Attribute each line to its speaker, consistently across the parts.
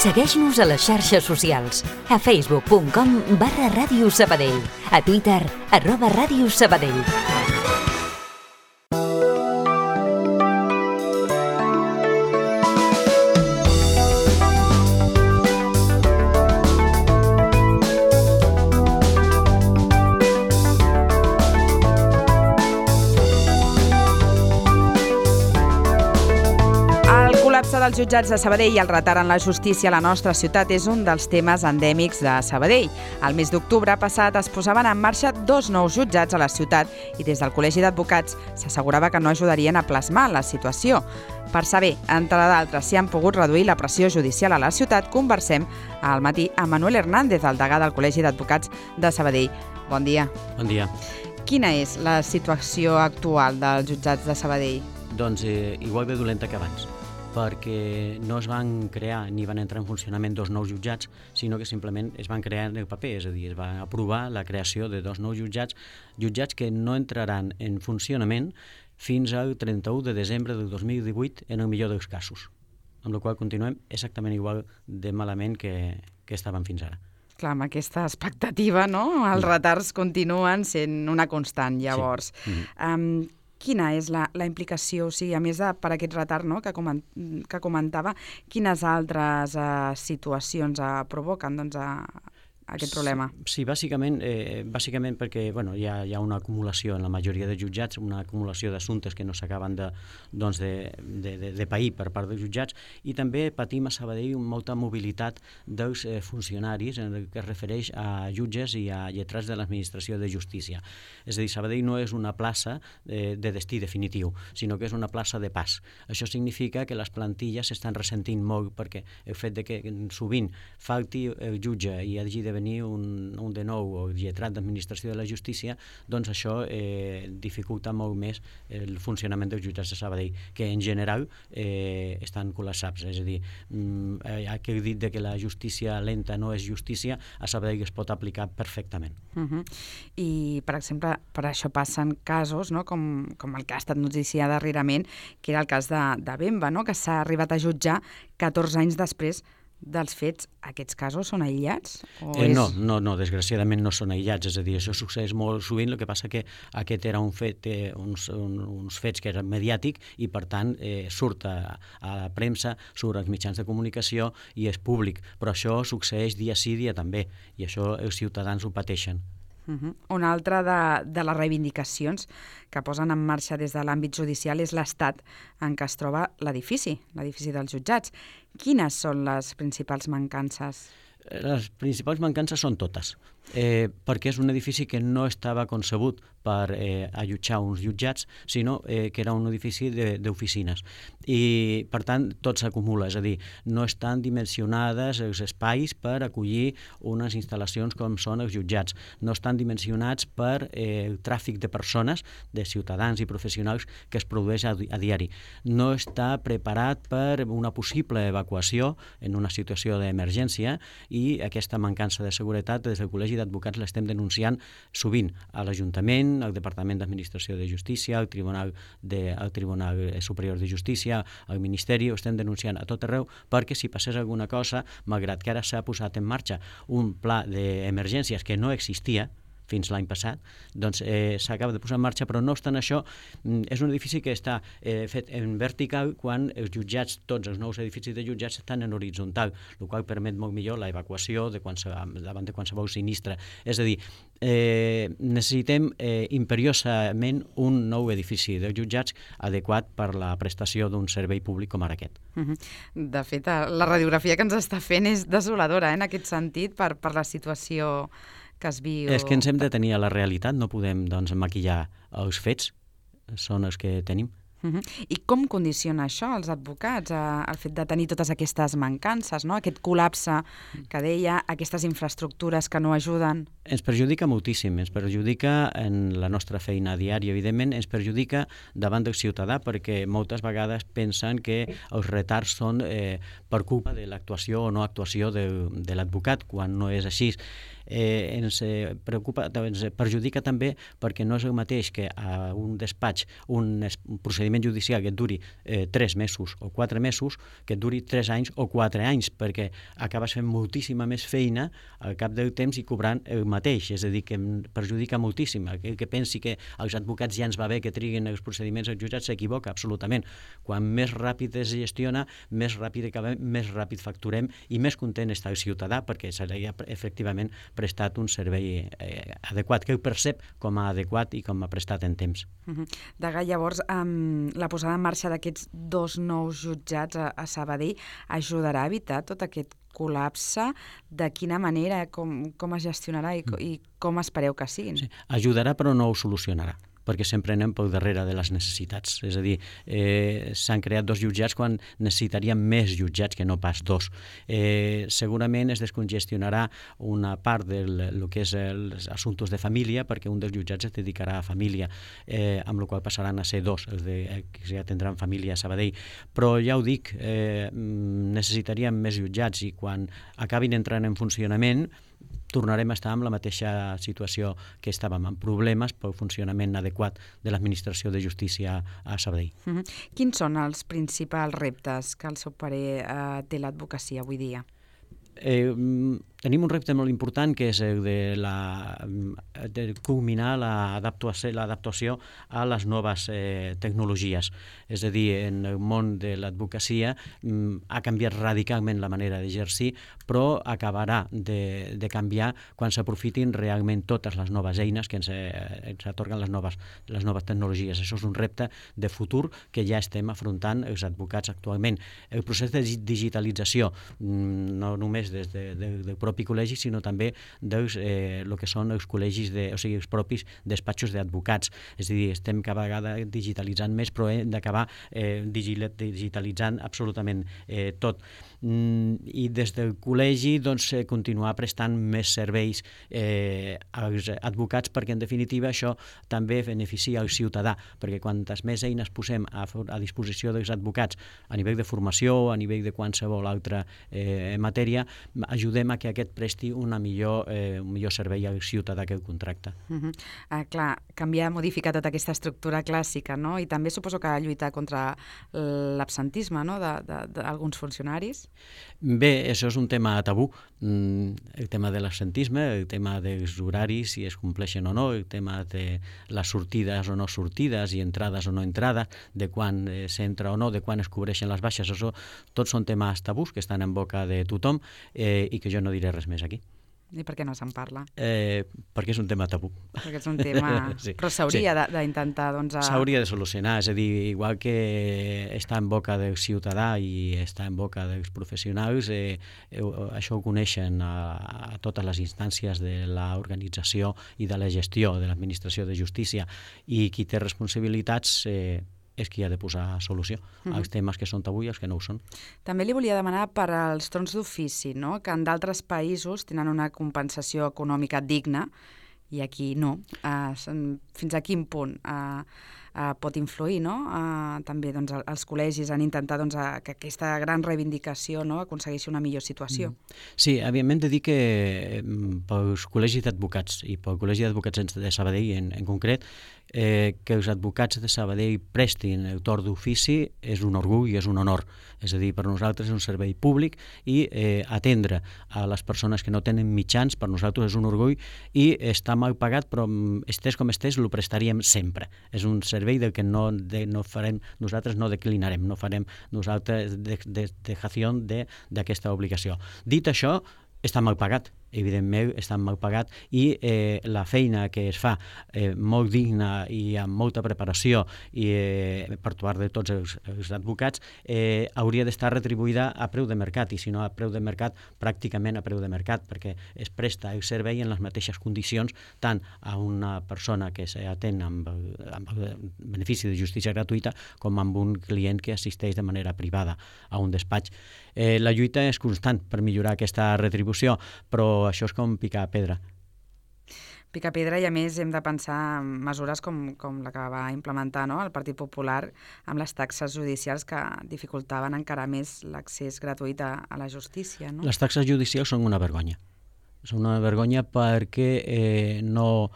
Speaker 1: Segueix-nos a les xarxes socials. A facebook.com/Ràdio Sabadell. A Twitter, @Ràdio Sabadell.
Speaker 2: dels jutjats de Sabadell i el retard en la justícia a la nostra ciutat és un dels temes endèmics de Sabadell. El mes d'octubre passat es posaven en marxa 2 nous jutjats a la ciutat i des del Col·legi d'Advocats s'assegurava que no ajudarien a plasmar la situació. Per saber, entre d'altres, si han pogut reduir la pressió judicial a la ciutat, conversem al matí amb Manuel Hernández, el degà del Col·legi d'Advocats de Sabadell. Bon dia.
Speaker 3: Bon dia.
Speaker 2: Quina és la situació actual dels jutjats de Sabadell?
Speaker 3: Doncs igual de dolenta que abans, perquè no es van crear ni van entrar en funcionament 2 nous jutjats, sinó que simplement es van crear en el paper, és a dir, es va aprovar la creació de 2 nous jutjats que no entraran en funcionament fins al 31 de desembre del 2018 en el millor dels casos, amb la qual continuem exactament igual de malament que estàvem fins ara.
Speaker 2: Clar, amb aquesta expectativa, no? Els retards continuen sent una constant, llavors. Sí. Quina és la implicació, o sigui, a més de per aquest retard, no, que comentava, quines altres situacions provoquen doncs, aquest problema?
Speaker 3: Sí, bàsicament perquè hi ha una acumulació en la majoria de jutjats, una acumulació d'assumptes que no s'acaben de pair per part dels jutjats, i també patim a Sabadell molta mobilitat dels funcionaris en el que es refereix a jutges i a lletrats de l'administració de justícia. És a dir, Sabadell no és una plaça de destí definitiu, sinó que és una plaça de pas. Això significa que les plantilles s'estan ressentint molt perquè el fet de que sovint falti el jutge i hagi de venir un de nou o lletrat d'administració de la justícia, doncs això dificulta molt més el funcionament dels jutjats de Sabadell, que en general estan col·lapsats. És a dir, aquell dit de que la justícia lenta no és justícia, a Sabadell es pot aplicar perfectament.
Speaker 2: I, per exemple, per això passen casos, no? com el que ha estat notícia darrerament, que era el cas de Bemba, no? Que s'ha arribat a jutjar 14 anys després dels fets. Aquests casos són aïllats?
Speaker 3: No, desgraciadament no són aïllats, és a dir, això succeeix molt sovint, el que passa que aquest era un fet, uns fets que eren mediàtic i per tant surt a la premsa, surt als mitjans de comunicació i és públic, però això succeeix dia sí, dia també, i això els ciutadans ho pateixen.
Speaker 2: Una altra de les reivindicacions que posen en marxa des de l'àmbit judicial és l'estat en què es troba l'edifici dels jutjats. Quines són les principals mancances?
Speaker 3: Les principals mancances són totes, perquè és un edifici que no estava concebut per allotjar uns jutjats, sinó que era un edifici d'oficines. I, per tant, tot s'acumula, és a dir, no estan dimensionades els espais per acollir unes instal·lacions com són els jutjats, no estan dimensionats per el tràfic de persones, de ciutadans i professionals que es produeix a diari. No està preparat per una possible evacuació en una situació d'emergència i aquesta mancança de seguretat des del Col·legi d'Advocats l'estem denunciant sovint a l'Ajuntament, al Departament d'Administració de Justícia, al Tribunal Superior de Justícia, al Ministeri, ho estem denunciant a tot arreu, perquè si passés alguna cosa, malgrat que ara s'ha posat en marxa un pla d'emergències que no existia fins l'any passat, doncs s'acaba de posar en marxa, però no obstant això, és un edifici que està fet en vertical quan els jutjats, tots els nous edificis de jutjats estan en horitzontal, el qual permet molt millor la evacuació davant de qualsevol sinistre. És a dir, necessitem imperiosament un nou edifici de jutjats adequat per la prestació d'un servei públic com ara aquest.
Speaker 2: De fet, la radiografia que ens està fent és desoladora en aquest sentit per la situació que es viu.
Speaker 3: És que ens hem de tenir a la realitat, no podem maquillar els fets, són els que tenim.
Speaker 2: I com condiciona això als advocats, el fet de tenir totes aquestes mancances, no? Aquest col·lapse que deia, aquestes infraestructures que no ajuden?
Speaker 3: Ens perjudica moltíssim, ens perjudica en la nostra feina diària, evidentment, ens perjudica davant del ciutadà perquè moltes vegades pensen que els retards són per culpa de l'actuació o no actuació de l'advocat, quan no és així. ens preocupa, ens perjudica també perquè no és el mateix que a un despatx, un procediment judicial que et duri 3 mesos o 4 mesos, que et duri 3 anys o 4 anys, perquè acabes fent moltíssima més feina al cap del temps i cobrant el mateix, és a dir, que em perjudica moltíssim. Aquell que pensi que als advocats ja ens va bé que triguin els procediments als jutjats s'equivoca absolutament. Quan més ràpid es gestiona, més ràpid acabem, més ràpid facturem i més content està el ciutadà perquè s'ha efectivament prestat un servei adequat, que el percep com a adequat i com a prestat en temps.
Speaker 2: Degà, llavors, la posada en marxa d'aquests 2 nous jutjats a Sabadell ajudarà a evitar tot aquest col·lapse? De quina manera, com es gestionarà i com espereu que siguin?
Speaker 3: Sí, ajudarà però no ho solucionarà, perquè sempre anem pel darrere de les necessitats. És a dir, s'han creat 2 jutjats quan necessitaríem més jutjats que no pas 2. Segurament es descongestionarà una part del que és els assumptes de família, perquè un dels jutjats es dedicarà a família, amb la qual passaran a ser 2, els que ja tindran família a Sabadell. Però ja ho dic, necessitaríem més jutjats i quan acabin entrant en funcionament tornarem a estar en la mateixa situació que estàvem, amb problemes pel funcionament adequat de l'administració de justícia a Sabadell.
Speaker 2: Quins són els principals reptes que al seu parer té l'advocacia avui dia?
Speaker 3: Tenim un repte molt important que és el de culminar l'adaptació a les noves tecnologies. És a dir, en el món de l'advocacia ha canviat radicalment la manera d'exercir, però acabarà de canviar quan s'aprofitin realment totes les noves eines que ens atorguen les noves tecnologies. Això és un repte de futur que ja estem afrontant els advocats actualment. El procés de digitalització, no només des del propi col·legi, sinó també dels el que són els col·legis, o sigui, els propis despatxos d'advocats. És a dir, estem cada vegada digitalitzant més, però hem d'acabar digitalitzant absolutament tot. I des del col·legi continuar prestant més serveis als advocats, perquè en definitiva això també beneficia al ciutadà, perquè quantes més eines posem a disposició dels advocats a nivell de formació, a nivell de qualsevol altra matèria, ajudem a que aquest presti un millor servei al ciutadà que el contracta.
Speaker 2: Clar, canviar, modificar tota aquesta estructura clàssica, no? I també suposo que lluitar contra l'absentisme, no?, d'alguns funcionaris.
Speaker 3: Bé, això és un tema tabú, el tema de l'absentisme, el tema dels horaris, si es compleixen o no, el tema de les sortides o no sortides i entrades o no entrades, de quan s'entra o no, de quan es cobreixen les baixes, això tots són temes tabús que estan en boca de tothom i que jo no diré res més aquí.
Speaker 2: I per què no se'n parla?
Speaker 3: Perquè és un tema tabú.
Speaker 2: Perquè és un tema... Sí. Però s'hauria d'intentar, doncs...
Speaker 3: S'hauria de solucionar, és a dir, igual que està en boca del ciutadà i està en boca dels professionals, això ho coneixen a totes les instàncies de l'organització i de la gestió de l'administració de justícia, i qui té responsabilitats és qui ha de posar solució als temes que són tabú i als que no ho són.
Speaker 2: També li volia demanar per als torns d'ofici, no?, que en d'altres països tenen una compensació econòmica digna i aquí no. Fins a quin punt pot influir, no? També els col·legis han intentat que aquesta gran reivindicació aconsegueixi una millor situació.
Speaker 3: Sí, hem de dir que pels col·legis d'advocats i pel Col·legi d'Advocats de Sabadell en concret, que els advocats de Sabadell prestin el torn d'ofici és un orgull i és un honor. És a dir, per nosaltres és un servei públic i atendre a les persones que no tenen mitjans per nosaltres és un orgull i està mal pagat, però estés com estés, lo prestaríem sempre. És un servei del que no farem, nosaltres no declinarem, no farem nosaltres dejació d'aquesta obligació. Dit això, està mal pagat, evidentment està mal pagat, i la feina que es fa molt digna i amb molta preparació i per part de tots els advocats hauria d'estar retribuïda a preu de mercat, i si no a preu de mercat, pràcticament a preu de mercat, perquè es presta el servei en les mateixes condicions tant a una persona que s'atén amb el benefici de justícia gratuïta com amb un client que assisteix de manera privada a un despatx. La lluita és constant per millorar aquesta retribució, però això és com picar pedra.
Speaker 2: Picar pedra, i a més hem de pensar en mesures com la que va implementar el Partit Popular amb les taxes judicials que dificultaven encara més l'accés gratuït a la justícia. No?
Speaker 3: Les taxes judicials són una vergonya. Són una vergonya perquè no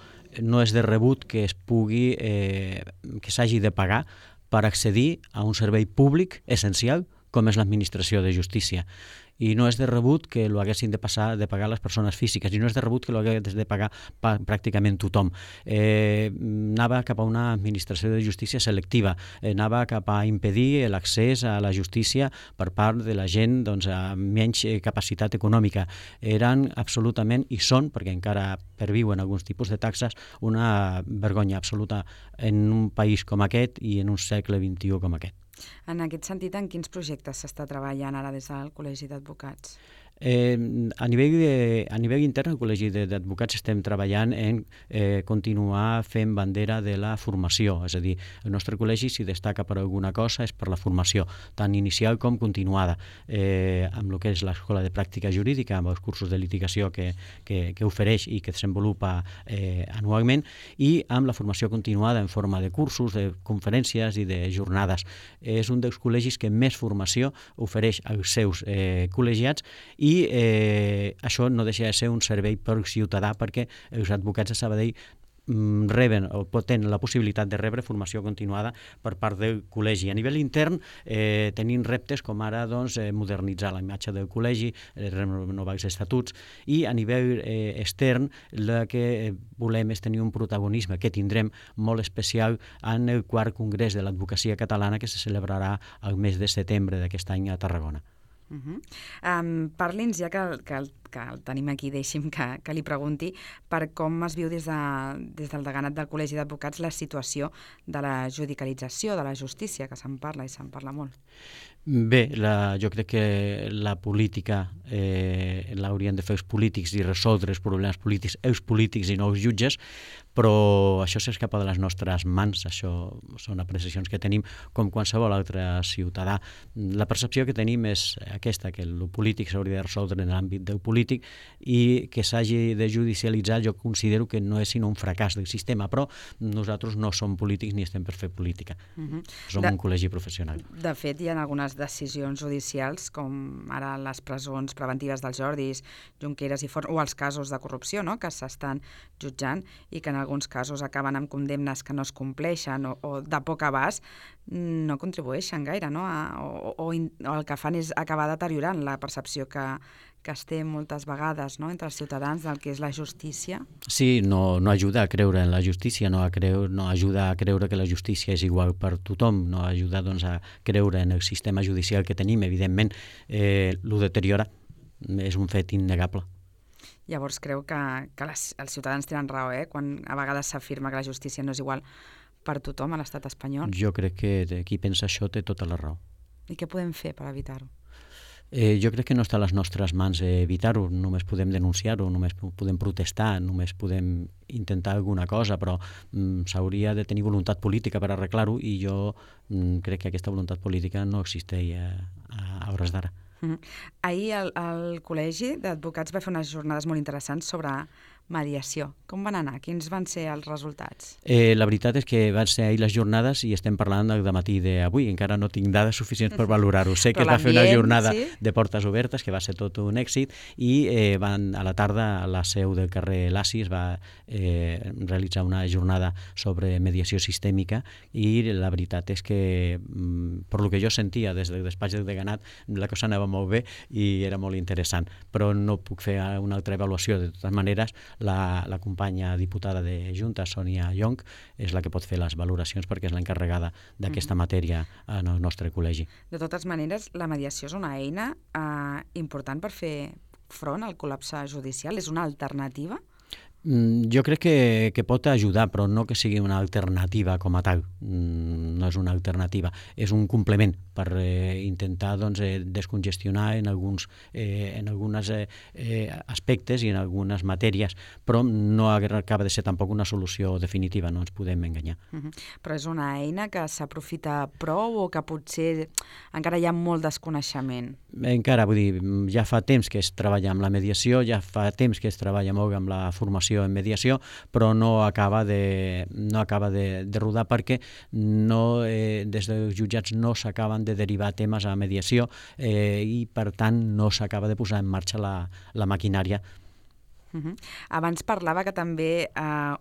Speaker 3: és de rebut que que s'hagi de pagar per accedir a un servei públic essencial com és l'administració de justícia. I no és de rebut que ho haguessin de pagar les persones físiques, i no és de rebut que ho hagués de pagar pràcticament tothom. Anava cap a una administració de justícia selectiva, anava cap a impedir l'accés a la justícia per part de la gent amb menys capacitat econòmica. Eren absolutament, i són, perquè encara perviuen alguns tipus de taxes, una vergonya absoluta en un país com aquest i en un segle XXI com aquest.
Speaker 2: En aquest sentit, en quins projectes s'està treballant ara des del Col·legi d'Advocats?
Speaker 3: A nivell intern, al Col·legi d'Advocats estem treballant en continuar fent bandera de la formació, és a dir, el nostre col·legi, si destaca per alguna cosa, és per la formació, tant inicial com continuada, amb el que és l'Escola de Pràctica Jurídica, amb els cursos de litigació que ofereix i que desenvolupa anualment, i amb la formació continuada en forma de cursos, de conferències i de jornades. És un dels col·legis que més formació ofereix als seus col·legiats, i això no deixa de ser un servei per ciutadà, perquè els advocats de Sabadell reben o tenen la possibilitat de rebre formació continuada per part del col·legi. A nivell intern tenim reptes com ara modernitzar la imatge del col·legi, renovar els estatuts, i a nivell extern el que volem és tenir un protagonisme que tindrem molt especial en el 4è Congrés de l'Advocacia Catalana, que se celebrarà el mes de setembre d'aquest any a Tarragona.
Speaker 2: Parli'ns, ja que el tenim aquí, deixi'm que li pregunti per com es viu des del deganat del Col·legi d'Advocats la situació de la judicialització de la justícia, que se'n parla i se'n parla molt.
Speaker 3: Bé, jo crec que la política l'haurien de fer els polítics i resoldre els problemes polítics els polítics i no els jutges, però això s'escapa de les nostres mans. Això són apreciacions que tenim com qualsevol altre ciutadà. La percepció que tenim és aquesta, que el polític s'hauria de resoldre en l'àmbit del polític, i que s'hagi de judicialitzar jo considero que no és sinó un fracàs del sistema, però nosaltres no som polítics ni estem per fer política. Som un col·legi professional.
Speaker 2: De fet, hi ha algunes decisions judicials, com ara les presons preventives dels Jordis, Junqueras i Forn, o els casos de corrupció, no?, que s'estan jutjant i que en alguns casos acaben amb condemnes que no es compleixen o de poc abast, no contribueixen gaire, no?, o el que fan és acabar deteriorant la percepció que es té moltes vegades, no?, entre els ciutadans del que és la justícia.
Speaker 3: Sí, no ajuda a creure en la justícia, no ajuda a creure que la justícia és igual per tothom, no ajuda a creure en el sistema judicial que tenim. Evidentment, l'ho deteriora, és un fet innegable.
Speaker 2: Llavors creu que els ciutadans tenen raó, quan a vegades s'afirma que la justícia no és igual per tothom a l'estat espanyol?
Speaker 3: Jo crec que qui pensa això té tota la raó.
Speaker 2: I què podem fer per evitar-ho?
Speaker 3: Jo crec que no està a les nostres mans evitar-ho, només podem denunciar-ho, només podem protestar, només podem intentar alguna cosa, però s'hauria de tenir voluntat política per arreglar-ho, i jo crec que aquesta voluntat política no existeix a hores d'ara.
Speaker 2: Ahir el Col·legi d'Advocats va fer unes jornades molt interessants sobre mediació. Com van anar? Quins van ser els resultats?
Speaker 3: La veritat és que van ser ahir les jornades i estem parlant del dematí d'avui. Encara no tinc dades suficients per valorar-ho. Sé que es va fer una jornada de portes obertes, que va ser tot un èxit, i a la tarda a la seu del carrer Laci es va realitzar una jornada sobre mediació sistèmica, i la veritat és que, per lo que jo sentia des del despatx del deganat, la cosa anava molt bé i era molt interessant, però no puc fer una altra avaluació. De totes maneres, la companya diputada de Junta, Sònia Llonch, és la que pot fer les valoracions perquè és l'encarregada d'aquesta matèria en el nostre col·legi.
Speaker 2: De totes maneres, la mediació és una eina important per fer front al col·lapse judicial? És una alternativa?
Speaker 3: Jo crec que pot ajudar, però no que sigui una alternativa com a tal. No és una alternativa, és un complement per intentar descongestionar en alguns aspectes i en algunes matèries, però no acaba de ser tampoc una solució definitiva, no ens podem enganyar.
Speaker 2: Però és una eina que s'aprofita prou o que potser encara hi ha molt desconeixement?
Speaker 3: Encara, vull dir, ja fa temps que es treballa amb la mediació, ja fa temps que es treballa molt amb la formació en mediació, però no acaba de rodar perquè des dels jutjats no s'acaben de derivar temes a mediació i, per tant, no s'acaba de posar en marxa la maquinària.
Speaker 2: Abans parlava que també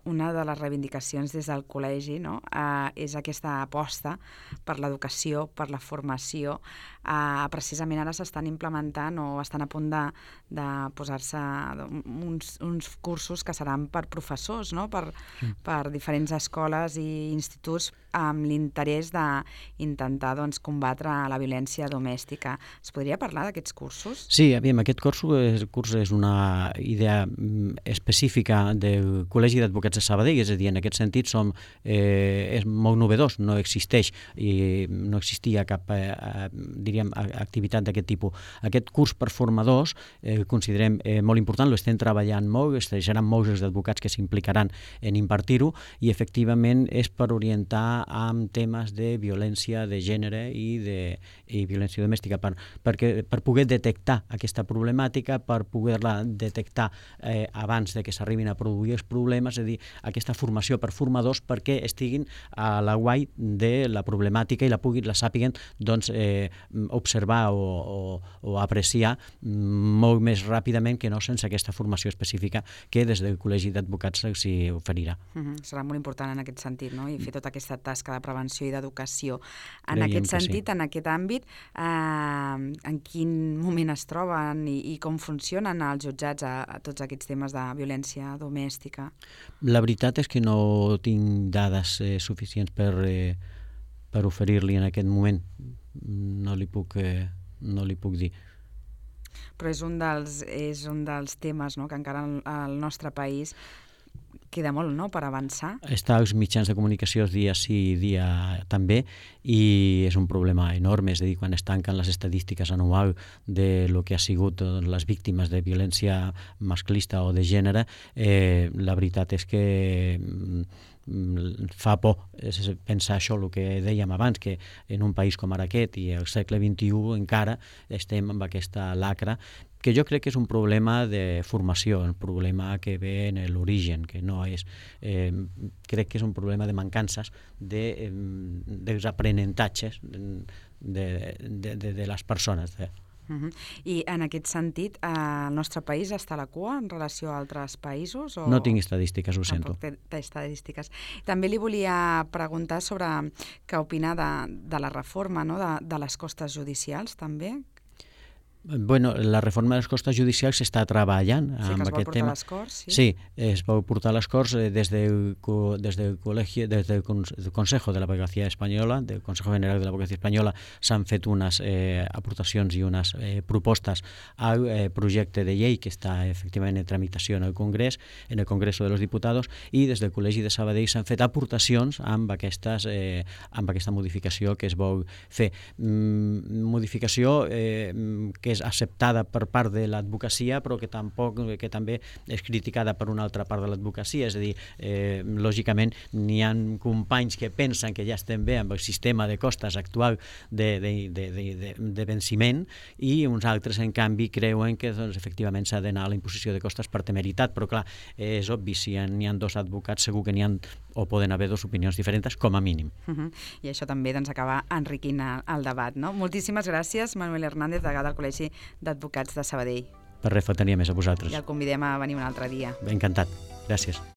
Speaker 2: una de les reivindicacions des del col·legi és aquesta aposta per l'educació, per la formació. Precisament ara s'estan implementant o estan a punt de posar-se uns cursos que seran per professors, per diferents escoles i instituts amb l'interès d'intentar combatre la violència domèstica. Es podria parlar d'aquests cursos?
Speaker 3: Sí, aquest curs és una idea específica del Col·legi d'Advocats de Sabadell, és a dir, en aquest sentit és molt novedós, no existeix i no existia cap activitat d'aquest tipus. Aquest curs per formadors considerem molt important, l'estem treballant molt, seran molts els advocats que s'implicaran en impartir-ho i efectivament és per orientar amb temes de violència de gènere i violència domèstica, per poder detectar aquesta problemàtica, per poder-la detectar abans de que s'arribin a produir els problemes, és a dir, aquesta formació per formadors perquè estiguin a l'aguait de la problemàtica i la sàpiguen observar o apreciar molt més ràpidament que no sense aquesta formació específica que des del Col·legi d'Advocats s'hi oferirà.
Speaker 2: Serà molt important en aquest sentit, i fer tota aquesta tasca de prevenció i d'educació. En aquest sentit, en aquest àmbit, en quin moment es troben i com funcionen els jutjats a tots aquests temes de violència domèstica?
Speaker 3: La veritat és que no tinc dades suficients per oferir-li en aquest moment. No li puc dir.
Speaker 2: Però és un dels temes que encara al nostre país queda molt per avançar.
Speaker 3: Està als mitjans de comunicació dia sí, dia també, i és un problema enorme, és a dir, quan es tanquen les estadístiques anuals de lo que ha sigut les víctimes de violència masclista o de gènere, la veritat és que fa por pensar això, el que dèiem abans, que en un país com ara aquest i al segle XXI encara estem amb aquesta lacra, que jo crec que és un problema de formació, un problema que ve en l'origen, que no és... crec que és un problema de mancances dels aprenentatges de les persones.
Speaker 2: I en aquest sentit, el nostre país està a la cua en relació a altres països?
Speaker 3: No tinc estadístiques, ho sento.
Speaker 2: Tampoc té estadístiques. També li volia preguntar sobre què opina de la reforma de les costes judicials, també.
Speaker 3: Bueno, la reforma de les costes judicials s'està treballant amb aquest tema.
Speaker 2: Sí, que es vol portar a les Corts, sí?
Speaker 3: Sí, es vol portar a les Corts des del Consejo de l'Abogacía Espanyola, del Consejo General de l'Abogacía Espanyola, s'han fet unes aportacions i unes propostes al projecte de llei que està efectivament en tramitació en el Congrés, en el Congreso de los Diputados, i des del Col·legi de Sabadell s'han fet aportacions amb aquesta modificació que es vol fer. Modificació que és acceptada per part de l'advocacia, però que també és criticada per una altra part de l'advocacia, és a dir, lògicament n'hi ha companys que pensen que ja estem bé amb el sistema de costes actual de venciment i uns altres, en canvi, creuen que efectivament s'ha d'anar a la imposició de costes per temeritat, però clar, és obvi, si n'hi ha dos advocats segur que n'hi ha o poden haver dues opinions diferents, com a mínim.
Speaker 2: I això també acaba enriquint el debat, no? Moltíssimes gràcies, Manuel Hernández, degà del Col·legi d'Advocats de Sabadell.
Speaker 3: Per res, faltaria més a vosaltres.
Speaker 2: I el convidem a venir un altre dia.
Speaker 3: Encantat. Gràcies.